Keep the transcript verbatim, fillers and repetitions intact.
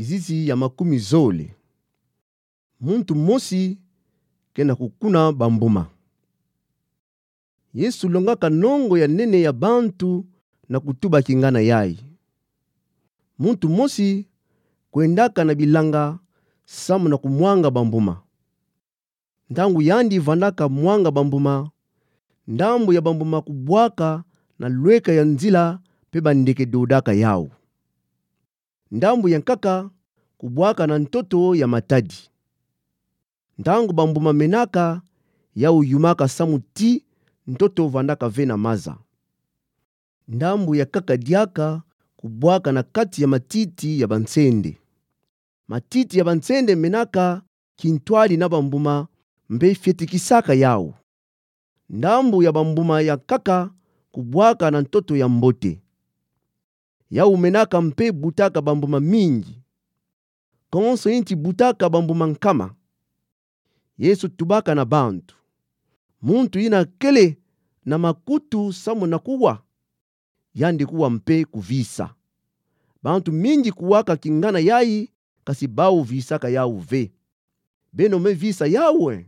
Kizizi ya makumi zole. Muntu mosi ke na kukuna bambuma. Yesu longaka nongo ya nene ya bantu na kutuba kingana yayi. Muntu mosi kwendaka na bilanga samu na kumwanga bambuma. Ntangu yandi vandaka mwanga bambuma, ndambu ya bambuma kubwaka na lweka ya nzila mpe bandeke dodaka yawu. Ndambu ya nkaka kubwaka na ntoto ya matadi. Ntangu bambuma menaka, yawu yumaka samu ti ntoto vandaka ve na maza. Ndambu ya nkaka diaka kubwaka na kati ya matiti ya bansende. Matiti ya bansende menaka kintwadi na bambuma mpe fietikisaka yawu. Ndambu ya bambuma ya nkaka kubwaka na ntoto ya mbote. Yawu menaka mpe butaka bambuma mingi. Konso inti butaka bambuma nkama. Yesu tubaka na bantu: Muntu yina kele na makutu samu na kuwa, yandi kuwa mpe kuvisa. Bantu mingi kuwaka kingana yayi, kasi bawu visaka yawu ve. Beno me visa yawu e?